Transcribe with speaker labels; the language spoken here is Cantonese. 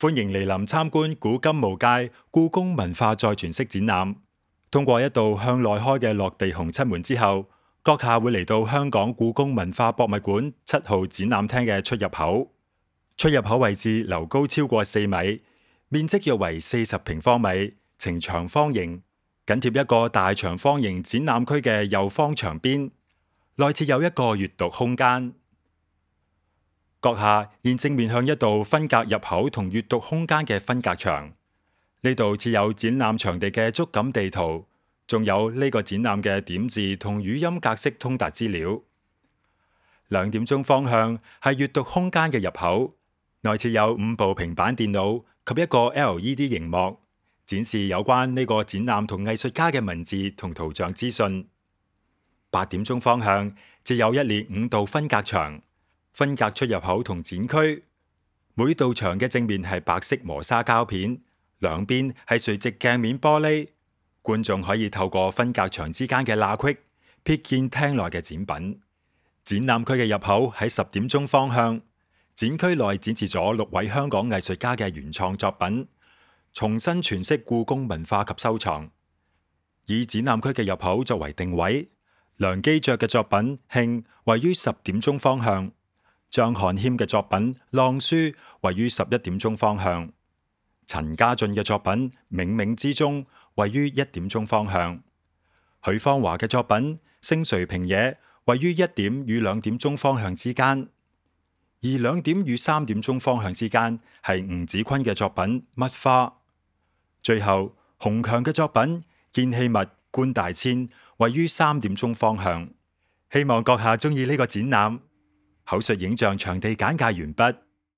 Speaker 1: 歡迎蒞臨參觀古今無界故宮文化再詮釋展覽。通過一道向內開嘅落地紅漆門之後，閣下會嚟到香港故宮文化博物館7號展覽廳嘅出入口。出入口位置樓高超過4米，面積約為40平方米，呈長方形，緊貼一個大長方形展覽區嘅右方牆邊，內設有一個閱讀空間。閣下現正面向一道分隔入口同閱讀空間嘅分隔牆，呢度設有展覽場地嘅觸感地圖，仲有呢個展覽嘅點字同語音格式通達資料。2點鐘方向係閱讀空間嘅入口，內設有5部平板電腦及一個 LED 螢幕，展示有關呢個展覽同藝術家嘅文字同圖像資訊。8點鐘方向設有一列5道分隔牆，分隔出入口同展區。每道牆嘅正面係白色磨砂膠片，兩邊係垂直鏡面玻璃。觀眾可以透過分隔牆之間嘅罅隙，瞥見廳內嘅展品。展覽區嘅入口喺10點鐘方向，展區內展示咗6位香港藝術家嘅原創作品，重新詮釋故宮文化及收藏。以展覽區嘅入口作為定位，梁基爵嘅作品《慶》位於10點鐘方向，張漢謙嘅作品《浪書》位於11點鐘方向，陳家俊嘅作品《冥冥之中》位於1點鐘方向，許芳華嘅作品《星垂平野》位於1點與2點鐘方向之間，而2點與3點鐘方向之間係吳子坤嘅作品《乜花》。最後，洪強嘅作品《見器物觀大千》位於3點鐘方向。希望閣下鍾意呢個展覽。口述影像場地簡介完畢。